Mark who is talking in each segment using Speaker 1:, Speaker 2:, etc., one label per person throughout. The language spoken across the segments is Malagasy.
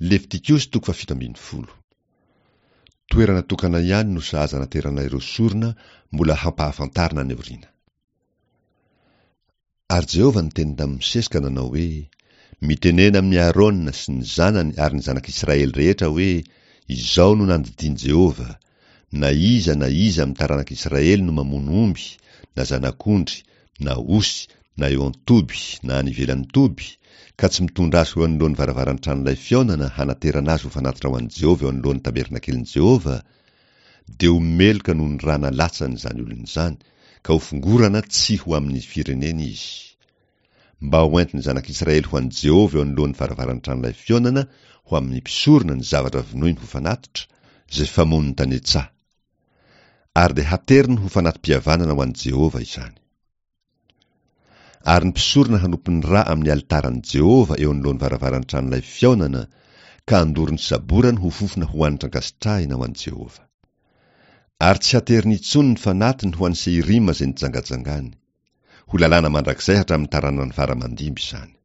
Speaker 1: Levitikosy toko faha-17. Toerana tokana ihany no sahaza anaterana ireo sorona mbola hampahafantarina any aoriana. Ary Jehovah niteny tamin'i Mosesy ka nanao hoe, Mitenena amin'i Arona sy ny zanany ary ny zanak'Israely rehetra hoe, Izao no nandidian'i Jehovah, Na iza na iza amin'ny taranak'Israely no mamono omby, na zanak'ondry, na osy, na eo an-toby, na any ivelan'ny toby, ka tsy mitondra azy ho eo anoloan'ny varavaran'ny tranolay fihaonana hanaterana azy ho fanatitra ho an'i Jehovah eo anoloan'ny tabernakelin'i Jehovah, dia ho meloka noho ny ra nalatsany izany olona izany, ka hofongorana tsy ho amin'ny fireneny izy. Mba hoentin'ny zanak'Israely ho an'i Jehovah eo anoloan'ny varavaran'ny tranolay fihaonana ho amin'ny mpisorona ny zavatra vonoiny ho fanatitra, izay famono ny tany an-tsaha. Ary dia hateriny ho fanati-pihavanana ho an'i Jehovah izany. Ary ny mpisorona hanopy ny ra amin'ny alitaran'i Jehovah eo anoloan'ny varavaran'ny tranolay fihaonana, ka handoro ny saborany ho fofona ho hanitra ankasitrahina ho an'i Jehovah. Ary tsy hateriny intsony ny fanatiny ho an'i Seirima izay nijangajangany. Ho lalàna mandrakizay hatramin'ny taranany fara aman-dimby izany.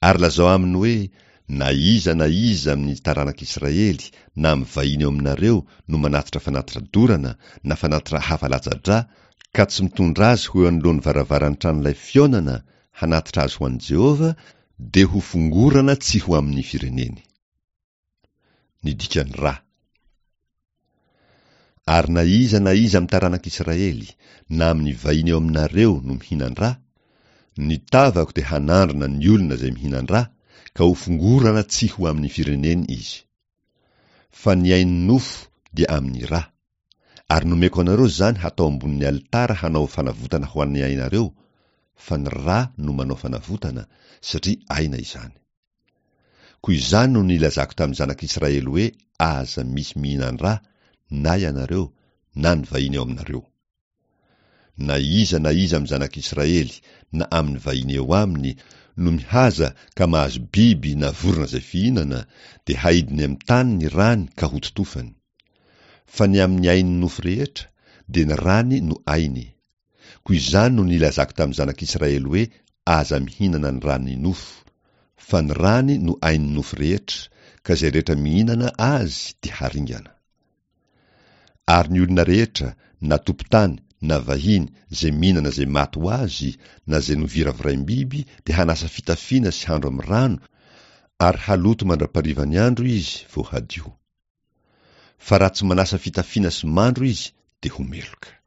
Speaker 1: Ary lazao aminy hoe, Na iza na iza amin'ny taranak'Israely na amin'ny vahiny eo aminareo no manatitra fanatitra dorana na fanatitra hafa latsa-drà, ka tsy mitondra azy ho eo anoloan'ny varavaran'ny tranolay fihaonana hanatitra azy ho an'i Jehovah, dia hofongorana tsy ho amin'ny fireneny. Ny dikan'ny ra. Ary na iza na iza amin'ny taranak'Israely, na amin'ny vahiny eo aminareo no mihinan-dra, ny tavako dia hanandrana ny olona izay mihinan-dra, ka hofongorana tsy ho amin'ny fireneny izy. Fa ny ain'ny nofo dia amin'ny ra. Ary nomeko anareo izany hatao ambonin'ny alitara hanao fanavotana ho an'ny ainareo, fa ny ra no manao fanavotana, satria aina izany. Koa izany no nilazako tamin'ny zanak'Israely hoe, Aza misy mihinan-dra, na ianareo, na ny vahiny eo aminareo. Na iza na iza amin'ny zanak'Israely, na amin'ny vahiny eo aminy, no mihaza ka mahazo biby na vorona izay fihinana, dia haidiny amin'ny tany ny rany ka hototofany. Fa ny amin'ny ain'ny nofo rehetra, dia ny rany no ainy. Koa izany no nilazako tamin'ny zanak'Israely hoe, Aza mihinana ny ran'ny nofo, fa ny rany no ain'ny nofo rehetra, ka izay rehetra mihinana azy dia haringana. Ary ny olona rehetra, na tompon-tany na vahiny, izay mihinana izay maty ho azy, na izay noviraviraim-biby, dia hanasa fitafiana sy handro amin'ny rano, ary haloto mandra-parivan'ny andro izy vao hadio. Fa raha tsy manasa fitafiana sy mandro izy, dia ho meloka.